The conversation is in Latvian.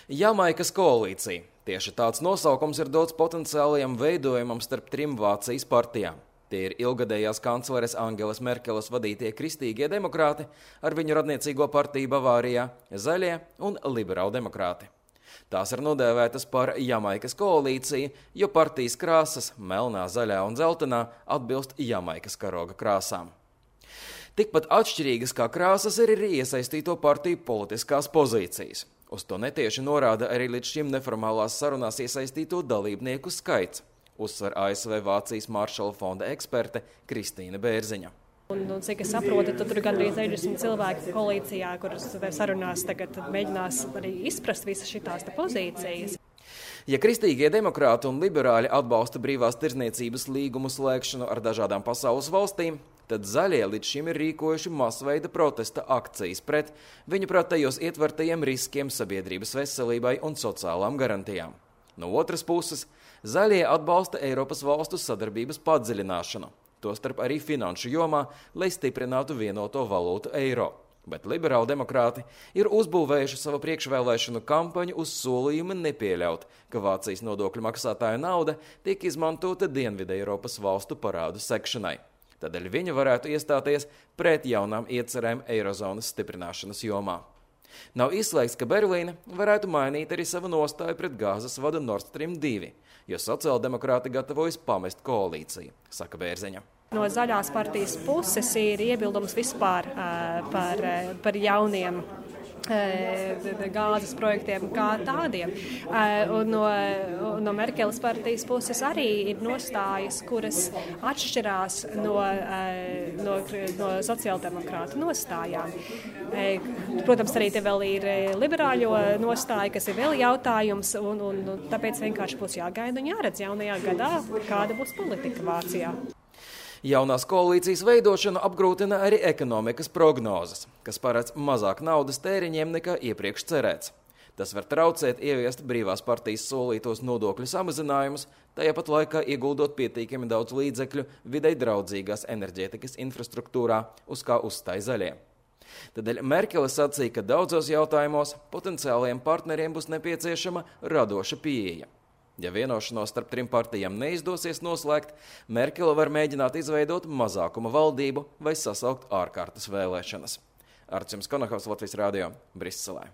Jamaikas koalīcija. Tieši tāds nosaukums ir dots potenciālajam veidojumam starp trim Vācijas partijām. Tie ir ilgadējās kancleres Angelas Merkeles vadītie kristīgie demokrāti ar viņu radniecīgo partiju Bavārijā, zaļie un liberāldemokrāti. Tās ir nodēvētas par Jamaikas koalīciju, jo partijas krāsas melnā, zaļā un dzeltenā atbilst Jamaikas karoga krāsām. Tikpat atšķirīgas kā krāsas ir arī iesaistīto partiju politiskās pozīcijas. Uz to netieši norāda arī līdz šim neformālās sarunās iesaistīto dalībnieku skaits, uzsver ASV Vācijas Maršala fonda eksperte Kristīna Bērziņa. Cik es saprotu, tad tur gandrīz 60 cilvēki koalīcijā, kuras sarunās tagad mēģinās arī izprast visas šitās pozīcijas. Ja kristīgie demokrāti un liberāļi atbalsta brīvās tirdzniecības līgumu slēgšanu ar dažādām pasaules valstīm, tad zaļie līdz šim ir rīkojuši masveida protesta akcijas pret viņuprāt tajos ietvertajiem riskiem sabiedrības veselībai un sociālām garantijām. No otras puses, zaļie atbalsta Eiropas valstu sadarbības padziļināšanu, tostarp arī finanšu jomā, lai stiprinātu vienoto valūtu eiro. Bet liberāldemokrāti ir uzbūvējuši savu priekšvēlēšanu kampaņu uz solījumu nepieļaut, ka Vācijas nodokļu maksātāju nauda tiek izmantota Dienvidē Eiropas valstu parādu sekšanai. Tādēļ viņi varētu iestāties pret jaunām iecerēm eirozonas stiprināšanas jomā. Nav izslēgts, ka Berlīne varētu mainīt arī savu nostāju pret gāzes vadu Nord Stream 2, jo sociāldemokrāti gatavojas pamest koalīciju, saka Bērziņa. No zaļās partijas puses ir iebildums vispār par jauniem gāzes projektiem kā tādiem. Un no Merkeles partijas puses arī ir nostājas, kuras atšķirās no sociāldemokrātu nostājām. Protams, arī te vēl ir liberāļo nostāja, kas ir vēl jautājums, un tāpēc vienkārši būs jāgaida un jāredz jaunajā gadā, kāda būs politika Vācijā. Jaunās koalīcijas veidošanu apgrūtina arī ekonomikas prognozes, kas paredz mazāk naudas tēriņiem nekā iepriekš cerēts. Tas var traucēt ieviest brīvās partijas solītos nodokļu samazinājumus, tajāpat laikā ieguldot pietiekami daudz līdzekļu videi draudzīgās enerģētikas infrastruktūrā, uz kā uzstāj zaļie. Tādēļ Merkele sacīja, ka daudzos jautājumos potenciālajiem partneriem būs nepieciešama radoša pieeja. Ja vienošanos starp trim partijām neizdosies noslēgt, Merkele var mēģināt izveidot mazākuma valdību vai sasaukt ārkārtas vēlēšanas. Arčuns Konahaus, Latvijas radio, Briselē.